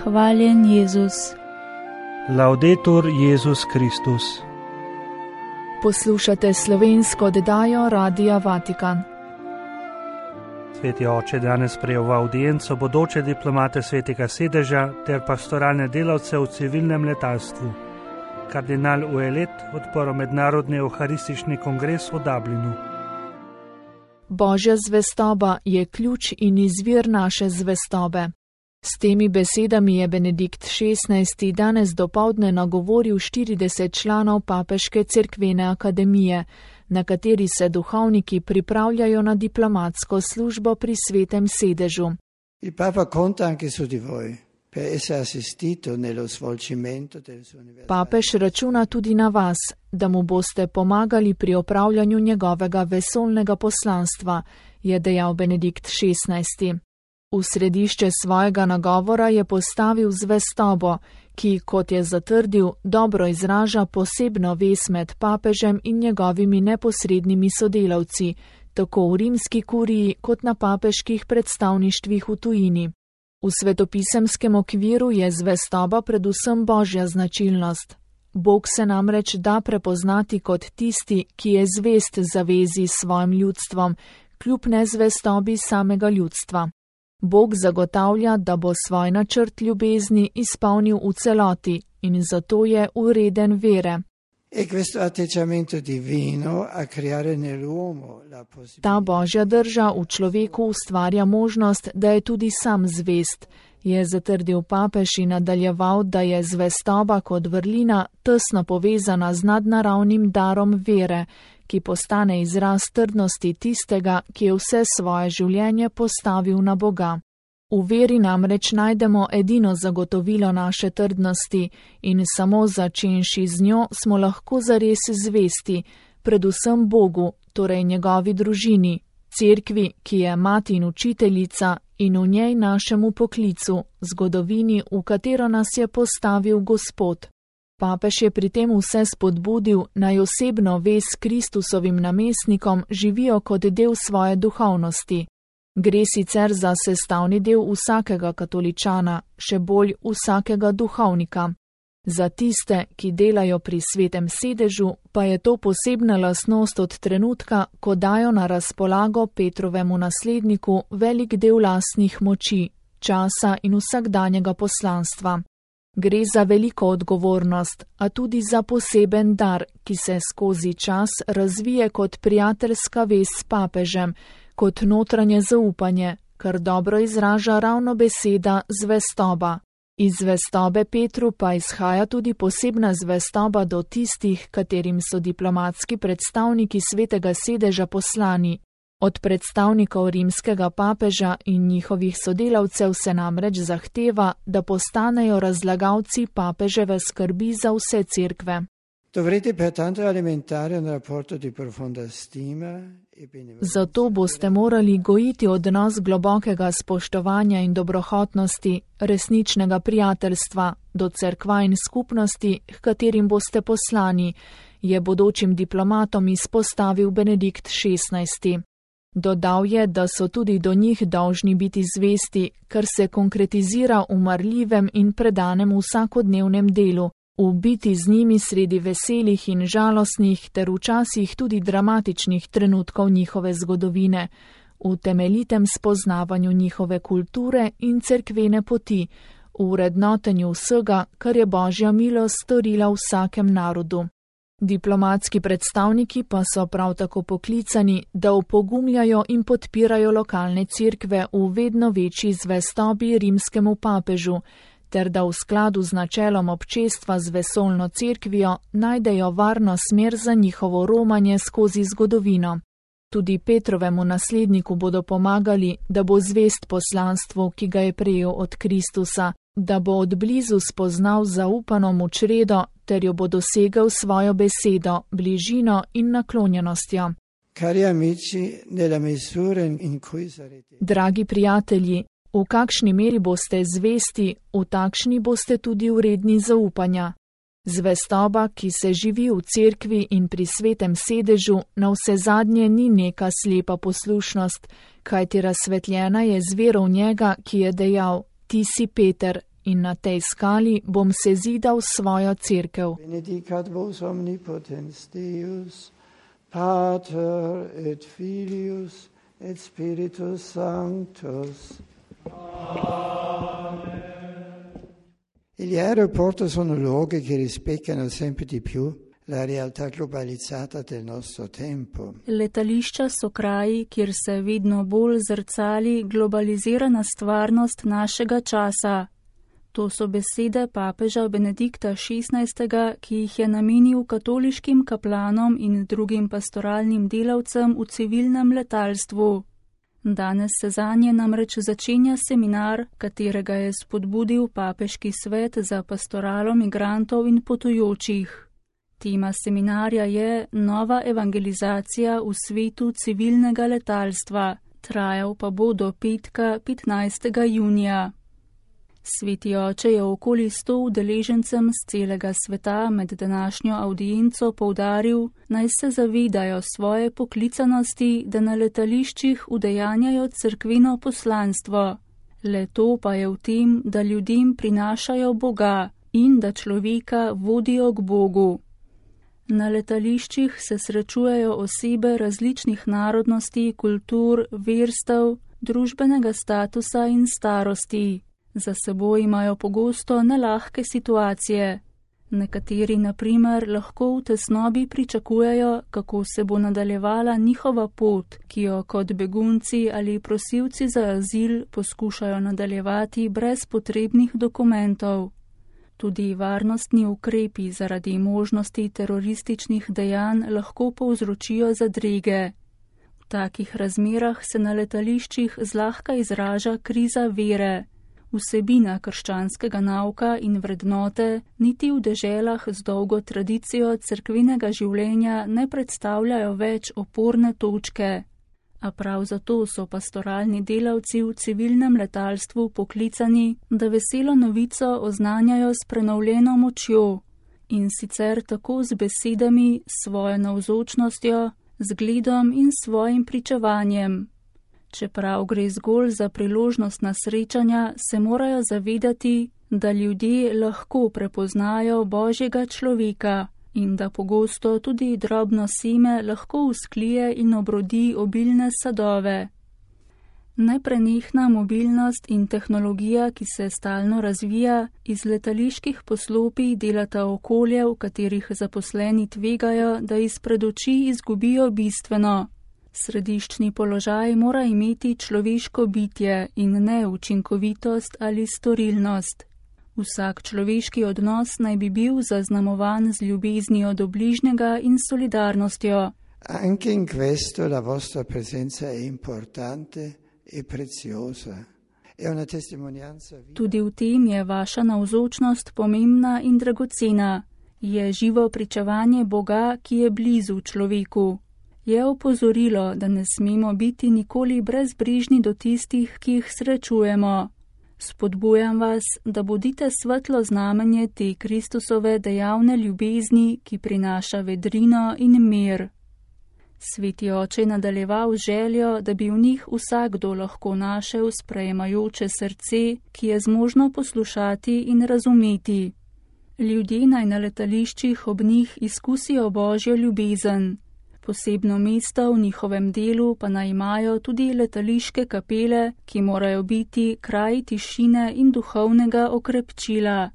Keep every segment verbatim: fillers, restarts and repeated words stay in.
Hvaljen Jezus. Laudetur Jezus Kristus. Poslušate slovensko oddajo Radia Vatikan. Sveti oče danes sprejel v audienco bodoče diplomate Svetega sedeža ter pastoralne delavce v civilnem letalstvu. Kardinal Ouellet odprl mednarodni euharistični kongres v Dublinu. Božja zvestoba je ključ in izvir naše zvestobe. S temi besedami je Benedikt šestnajsti danes dopoldne nagovoril štirideset članov Papeške cerkvene akademije, na kateri se duhovniki pripravljajo na diplomatsko službo pri Svetem sedežu. Il Papa conta anche su di voi per essere assistito nello svolgimento del suo universale. Papež računa tudi na vas, da mu boste pomagali pri opravljanju njegovega vesoljnega poslanstva, je dejal Benedikt šestnajsti. V središče svojega nagovora je postavil zvestobo, ki, kot je zatrdil, dobro izraža posebno vez med papežem in njegovimi neposrednimi sodelavci, tako v rimski kuriji kot na papeških predstavništvih v tujini. V svetopisemskem okviru je zvestoba predvsem božja značilnost. Bog se namreč da prepoznati kot tisti, ki je zvest zavezi s svojim ljudstvom, kljub nezvestobi samega ljudstva. Bog zagotavlja, da bo svoj načrt ljubezni izpolnil v celoti in zato je vreden vere. Ta božja drža v človeku ustvarja možnost, da je tudi sam zvest, je zatrdil papež in nadaljeval, da je zvestoba kot vrlina tesno povezana z nadnaravnim darom vere, ki postane izraz trdnosti tistega, ki je vse svoje življenje postavil na Boga. V veri namreč najdemo edino zagotovilo naše trdnosti in samo začenši z njo smo lahko zares zvesti, predvsem Bogu, torej njegovi družini, cerkvi, ki je mati in učiteljica in v njej našemu poklicu, zgodovini, v katero nas je postavil Gospod. Papež je pri tem vse spodbudil, naj osebno vez s Kristusovim namestnikom živijo kot del svoje duhovnosti. Gre sicer za sestavni del vsakega katoličana, še bolj vsakega duhovnika. Za tiste, ki delajo pri Svetem sedežu, pa je to posebna lastnost od trenutka, ko dajo na razpolago Petrovemu nasledniku velik del lastnih moči, časa in vsakdanjega poslanstva. Gre za veliko odgovornost, a tudi za poseben dar, ki se skozi čas razvije kot prijateljska vez s papežem, kot notranje zaupanje, kar dobro izraža ravno beseda zvestoba. Iz zvestobe Petru pa izhaja tudi posebna zvestoba do tistih, katerim so diplomatski predstavniki Svetega sedeža poslani. Od predstavnikov rimskega papeža in njihovih sodelavcev se namreč zahteva, da postanejo razlagalci papeževe skrbi za vse cerkve. Zato boste morali gojiti odnos globokega spoštovanja in dobrohotnosti, resničnega prijateljstva do cerkva in skupnosti, h katerim boste poslani, je bodočim diplomatom izpostavil Benedikt šestnajsti. Dodal je, da so tudi do njih dolžni biti zvesti, kar se konkretizira v marljivem in predanem vsakodnevnem delu, v biti z njimi sredi veselih in žalostnih ter včasih tudi dramatičnih trenutkov njihove zgodovine, v temeljitem spoznavanju njihove kulture in cerkvene poti, v vrednotenju vsega, kar je Božja milost storila vsakem narodu. Diplomatski predstavniki pa so prav tako poklicani, da opogumljajo in podpirajo lokalne cerkve v vedno večji zvestobi rimskemu papežu, ter da v skladu z načelom občestva z vesoljno cerkvijo najdejo varno smer za njihovo romanje skozi zgodovino. Tudi Petrovemu nasledniku bodo pomagali, da bo zvest poslanstvu, ki ga je prejel od Kristusa, da bo od blizu spoznal zaupano mu čredo, ter jo bo dosegel svojo besedo, bližino in naklonjenostjo. Dragi prijatelji, v kakšni meri boste zvesti, v takšni boste tudi vredni zaupanja. Zvestoba, ki se živi v cerkvi in pri Svetem sedežu, na vse zadnje ni neka slepa poslušnost, kajti razsvetljena je z vero v njega, ki je dejal: Ti si Peter in na tej skali bom sezidal svojo cerkev. Benedicat vos omnipotens Deus, Pater et Filius et Spiritus Sanctus. Amen. Gli aeroporti sono luoghi che rispecchiano sempre di più la realtà globalizzata del nostro tempo. Letališča so kraji, kjer se vedno bolj zrcali globalizirana stvarnost našega časa. To so besede papeža Benedikta šestnajstega, ki jih je namenil katoliškim kaplanom in drugim pastoralnim delavcem v civilnem letalstvu. Danes se zanje namreč začenja seminar, katerega je spodbudil Papeški svet za pastoralo migrantov in potujočih. Tema seminarja je Nova evangelizacija v svetu civilnega letalstva, trajal pa bo do petka petnajstega junija. Sveti oče je okoli sto udeležencem z celega sveta med današnjo avdienco poudaril, naj se zavedajo svoje poklicanosti, da na letališčih udejanjajo cerkveno poslanstvo. Le to pa je v tem, da ljudem prinašajo Boga in da človeka vodijo k Bogu. Na letališčih se srečujejo osebe različnih narodnosti, kultur, verstev, družbenega statusa in starosti. Za seboj imajo pogosto nelahke situacije. Nekateri, na primer, lahko v tesnobi pričakujejo, kako se bo nadaljevala njihova pot, ki jo kot begunci ali prosilci za azil poskušajo nadaljevati brez potrebnih dokumentov. Tudi varnostni ukrepi zaradi možnosti terorističnih dejanj lahko povzročijo zadrege. V takih razmerah se na letališčih zlahka izraža kriza vere. Vsebina krščanskega nauka in vrednote niti v deželah z dolgo tradicijo cerkvenega življenja ne predstavljajo več oporne točke. A prav zato so pastoralni delavci v civilnem letalstvu poklicani, da veselo novico oznanjajo s prenovljeno močjo in sicer tako z besedami, svojo navzočnostjo, zgledom in svojim pričevanjem. Čeprav gre zgolj za priložnostna srečanja, se morajo zavedati, da ljudje lahko prepoznajo Božjega človeka in da pogosto tudi drobno seme lahko vzklije in obrodi obilne sadove. Neprenehna mobilnost in tehnologija, ki se stalno razvija, iz letaliških poslopij delata okolje, v katerih zaposleni tvegajo, da izpred oči izgubijo bistveno. Središčni položaj mora imeti človeško bitje in ne učinkovitost ali storilnost. Vsak človeški odnos naj bi bil zaznamovan z ljubeznijo do bližnjega in solidarnostjo. Anche in questo la vostra presenza è importante e preziosa. È una testimonianza viva. Tudi v tem je vaša navzočnost pomembna in dragocena. Je živo pričevanje Boga, ki je blizu človeku. Je opozorilo, da ne smemo biti nikoli brezbrižni do tistih, ki jih srečujemo. Spodbujam vas, da bodite svetlo znamenje te Kristusove dejavne ljubezni, ki prinaša vedrino in mir. Sveti oče je nadaljeval željo, da bi v njih vsakdo lahko našel sprejemajoče srce, ki je zmožno poslušati in razumeti. Ljudje naj na letališčih ob njih izkusijo Božjo ljubezen. Posebno mesto v njihovem delu pa naj imajo tudi letališke kapele, ki morajo biti kraj tišine in duhovnega okrepčila.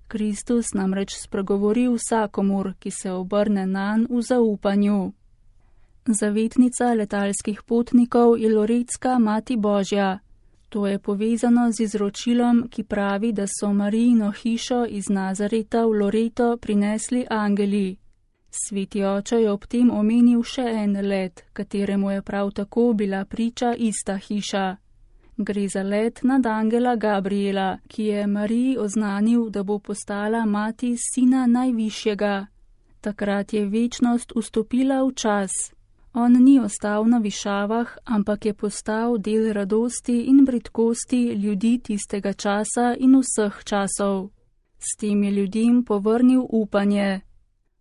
Kristus namreč spregovori vsakomur, ki se obrne nanj v zaupanju. Zavetnica letalskih potnikov je Loretska Mati Božja. To je povezano z izročilom, ki pravi, da so Marijino hišo iz Nazareta v Loreto prinesli angeli. Sveti oče je ob tem omenil še en let, kateremu je prav tako bila priča ista hiša. Gre za let nad angela Gabriela, ki je Mariji oznanil, da bo postala mati sina najvišjega. Takrat je večnost vstopila v čas. On ni ostal na višavah, ampak je postal del radosti in bridkosti ljudi tistega časa in vseh časov. S tem je ljudem povrnil upanje.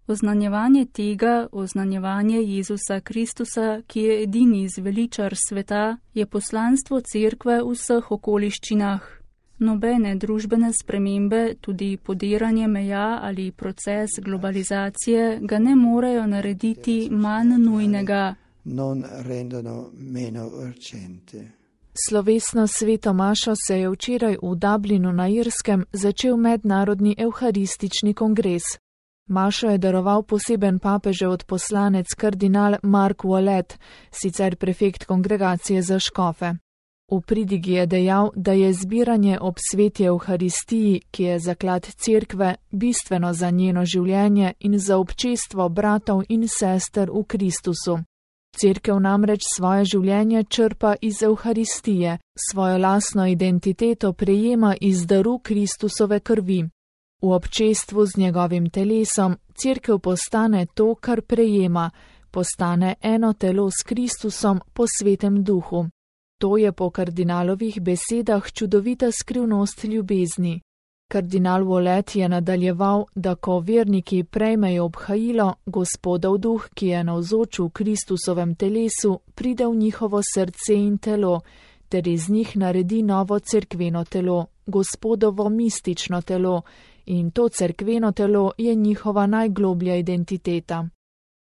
Oznanjevanje tega, oznanjevanje Jezusa Kristusa, ki je edini zveličar sveta, je poslanstvo cerkve v vseh okoliščinah. Nobene družbene spremembe, tudi podiranje meja ali proces globalizacije ga ne morejo narediti manj nujnega. Non rendono meno urgente. Slovesno sveto mašo se je včeraj v Dublinu na Irskem začel mednarodni evharistični kongres. Mašo je daroval poseben papežev odposlanec kardinal Mark Wallet, sicer prefekt kongregacije za škofe. V pridigi je dejal, da je zbiranje ob sveti evharistiji, ki je zaklad cerkve, bistveno za njeno življenje in za občestvo bratov in sester v Kristusu. Cerkev namreč svoje življenje črpa iz evharistije, svojo lastno identiteto prejema iz daru Kristusove krvi. V občestvu z njegovim telesom cerkev postane to, kar prejema, postane eno telo s Kristusom po svetem duhu. To je po kardinalovih besedah čudovita skrivnost ljubezni. Kardinal Wallet je nadaljeval, da ko verniki prejmejo obhajilo, Gospodov duh, ki je navzoč v Kristusovem telesu, pride v njihovo srce in telo, ter iz njih naredi novo cerkveno telo, Gospodovo mistično telo, in to cerkveno telo je njihova najgloblja identiteta.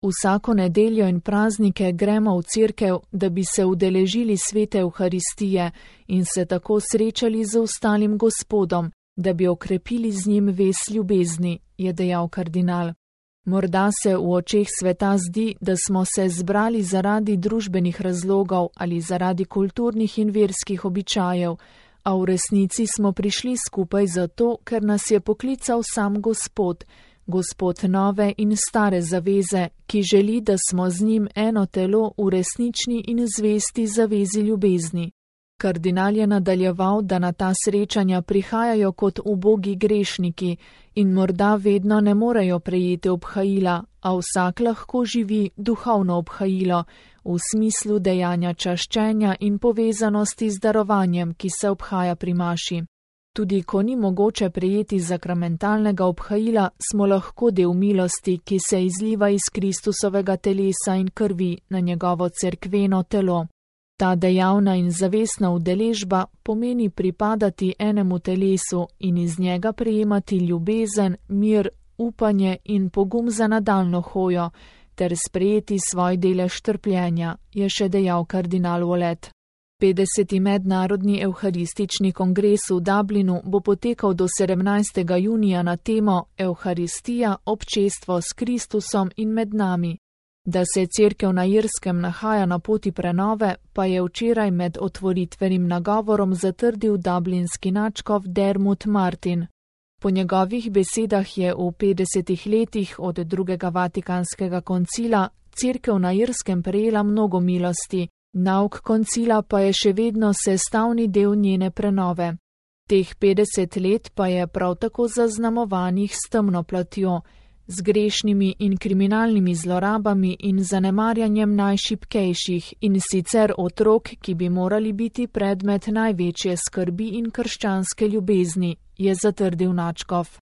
Vsako nedeljo in praznike gremo v cerkev, da bi se udeležili svete evharistije in se tako srečali z ostalim Gospodom, da bi okrepili z njim vez ljubezni, je dejal kardinal. Morda se v očeh sveta zdi, da smo se zbrali zaradi družbenih razlogov ali zaradi kulturnih in verskih običajev, a v resnici smo prišli skupaj zato, ker nas je poklical sam Gospod, Gospod nove in stare zaveze, ki želi, da smo z njim eno telo v resnični in zvesti zavezi ljubezni. Kardinal je nadaljeval, da na ta srečanja prihajajo kot ubogi grešniki in morda vedno ne morejo prejeti obhajila, a vsak lahko živi duhovno obhajilo v smislu dejanja čaščenja in povezanosti z darovanjem, ki se obhaja pri maši. Tudi ko ni mogoče prejeti sakramentalnega obhajila, smo lahko del milosti, ki se izliva iz Kristusovega telesa in krvi na njegovo cerkveno telo. Ta dejavna in zavestna udeležba pomeni pripadati enemu telesu in iz njega prejemati ljubezen, mir, upanje in pogum za nadaljno hojo, ter sprejeti svoj delež trpljenja, je še dejal kardinal Wallet. petdeseti mednarodni evharistični kongres v Dublinu bo potekal do sedemnajstega junija na temo Evharistija, občestvo s Kristusom in med nami. Da se cerkev na Irskem nahaja na poti prenove, pa je včeraj med otvoritvenim nagovorom zatrdil dublinski nadškof Dermot Martin. Po njegovih besedah je v petdesetih letih od drugega vatikanskega koncila cerkev na Irskem prejela mnogo milosti, nauk koncila pa je še vedno sestavni del njene prenove. Teh petdeset let pa je prav tako zaznamovanih s temno platjo, z grešnimi in kriminalnimi zlorabami in zanemarjanjem najšibkejših in sicer otrok, ki bi morali biti predmet največje skrbi in krščanske ljubezni, je zatrdil nadškof.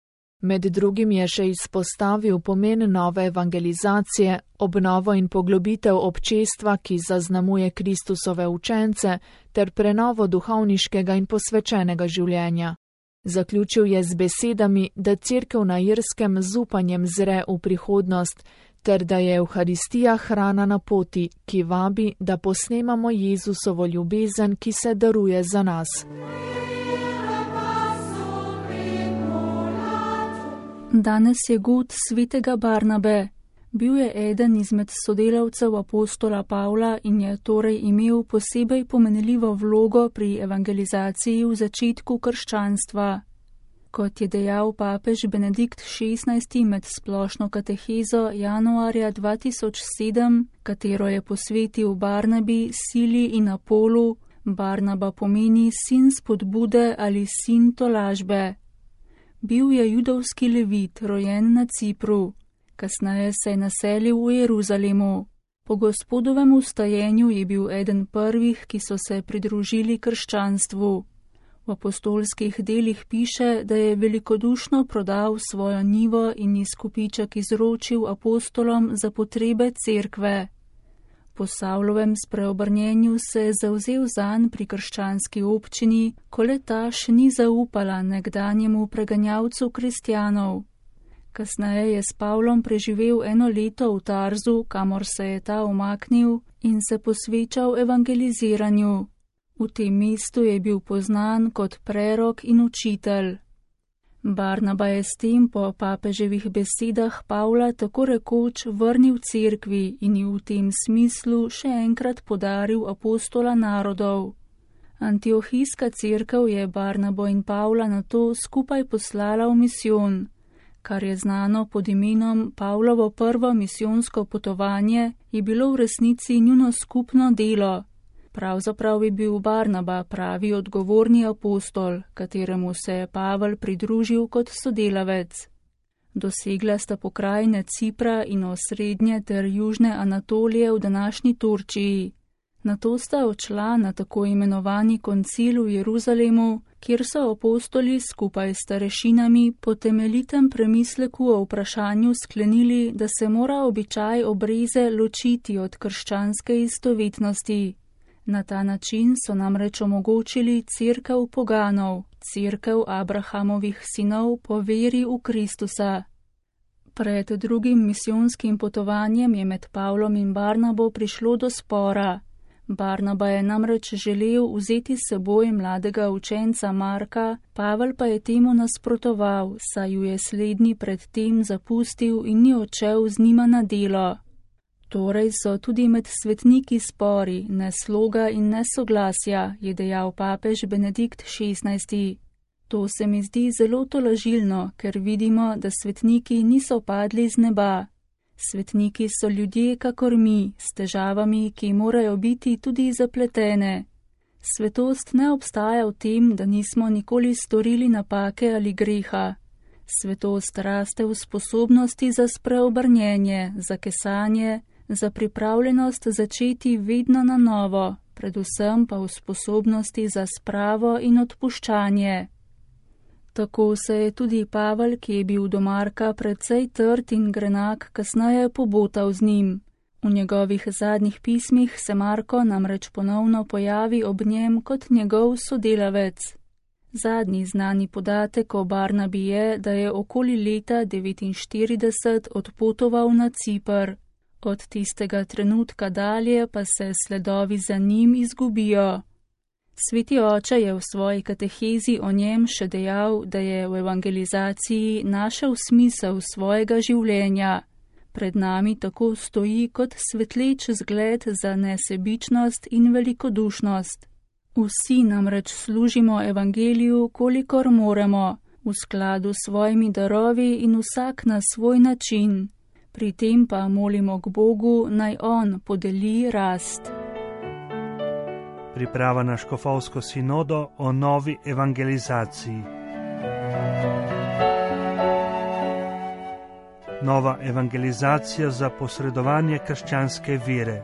Med drugim je še izpostavil pomen nove evangelizacije, obnovo in poglobitev občestva, ki zaznamuje Kristusove učence, ter prenovo duhovniškega in posvečenega življenja. Zaključil je z besedami, da cerkev na Irskem z upanjem zre v prihodnost, ter da je Evharistija hrana na poti, ki vabi, da posnemamo Jezusovo ljubezen, ki se daruje za nas. Danes je god svetega Barnabe. Bil je eden izmed sodelavcev apostola Pavla in je torej imel posebej pomenljivo vlogo pri evangelizaciji v začetku krščanstva. Kot je dejal papež Benedikt šestnajsti med splošno katehezo januarja dva tisoč sedem, katero je posvetil Barnabi, Sili in Apolu, Barnaba pomeni sin spodbude ali sin tolažbe. Bil je judovski levit, rojen na Cipru. Kasneje se je naselil v Jeruzalemu. Po Gospodovem ustajenju je bil eden prvih, ki so se pridružili krščanstvu. V apostolskih delih piše, da je velikodušno prodal svojo njivo in izkupiček izročil apostolom za potrebe cerkve. Po Savlovem spreobrnjenju se je zavzel zanj pri krščanski občini, ko le ta še ni zaupala nekdanjemu preganjavcu kristjanov. Kasneje je s Pavlom preživel eno leto v Tarzu, kamor se je ta umaknil in se posvečal evangeliziranju. V tem mestu je bil poznan kot prerok in učitelj. Barnaba je s tem po papeževih besedah Pavla tako rekoč vrnil cerkvi in ji v tem smislu še enkrat podaril apostola narodov. Antiohijska cerkev je Barnabo in Pavla nato skupaj poslala v misijon, kar je znano pod imenom Pavlovo prvo misijonsko potovanje, je bilo v resnici njuno skupno delo. Pravzaprav je bil Barnaba pravi odgovorni apostol, kateremu se je Pavel pridružil kot sodelavec. Dosegla sta pokrajine Cipra in osrednje ter južne Anatolije v današnji Turčiji. Nato sta odšla na tako imenovani koncil v Jeruzalemu, kjer so apostoli skupaj s starešinami po temeljitem premisleku o vprašanju sklenili, da se mora običaj obreze ločiti od krščanske istovetnosti. Na ta način so namreč omogočili cerkev poganov, cerkev Abrahamovih sinov po veri v Kristusa. Pred drugim misijonskim potovanjem je med Pavlom in Barnabo prišlo do spora. Barnaba je namreč želel vzeti s seboj mladega učenca Marka, Pavel pa je temu nasprotoval, saj ju je slednji pred tem zapustil in ni odšel z njima na delo. Torej so tudi med svetniki spori, nesloga in nesoglasja, je dejal papež Benedikt šestnajsti. To se mi zdi zelo tolažilno, ker vidimo, da svetniki niso padli z neba. Svetniki so ljudje kakor mi, s težavami, ki morajo biti tudi zapletene. Svetost ne obstaja v tem, da nismo nikoli storili napake ali greha. Svetost raste v sposobnosti za spreobrnjenje, za kesanje, za pripravljenost začeti vedno na novo, predvsem pa v sposobnosti za spravo in odpuščanje. Tako se je tudi Pavel, ki je bil do Marka precej trd in grenak, kasneje pobotal z njim. V njegovih zadnjih pismih se Marko namreč ponovno pojavi ob njem kot njegov sodelavec. Zadnji znani podatek o Barnabi je, da je okoli leta devetinštirideset odpotoval na Cipr. Od tistega trenutka dalje pa se sledovi za njim izgubijo. Sveti oče je v svoji katehezi o njem še dejal, da je v evangelizaciji našel smisel svojega življenja. Pred nami tako stoji kot svetleč zgled za nesebičnost in velikodušnost. Vsi namreč služimo evangeliju, kolikor moremo, v skladu s svojimi darovi in vsak na svoj način. Pri tem pa molimo k Bogu, naj On podeli rast. Priprava na škofovsko sinodo o novi evangelizaciji. Nova evangelizacija za posredovanje krščanske vere.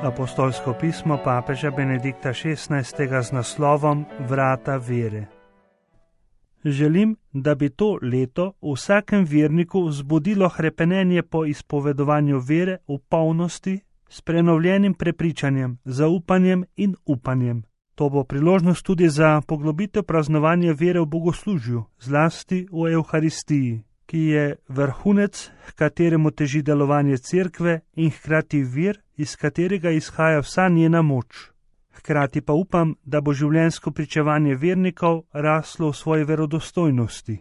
Apostolsko pismo papeža Benedikta šestnajstega z naslovom Vrata vere. Želim, da bi to leto v vsakem verniku vzbudilo hrepenenje po izpovedovanju vere v polnosti, s prenovljenim prepričanjem, zaupanjem in upanjem. To bo priložnost tudi za poglobitev praznovanja vere v bogoslužju, zlasti v Evharistiji, ki je vrhunec, h kateremu teži delovanje cerkve in hkrati vir, iz katerega izhaja vsa njena moč. Hkrati pa upam, da bo življenjsko pričevanje vernikov raslo v svoji verodostojnosti.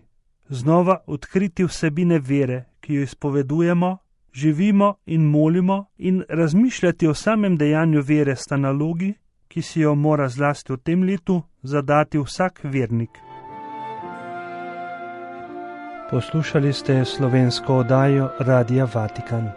Znova odkriti vsebine vere, ki jo izpovedujemo, živimo in molimo, in razmišljati o samem dejanju vere sta nalogi, ki si jo mora zlasti v tem letu zadati vsak vernik. Poslušali ste slovensko oddajo Radia Vatikan.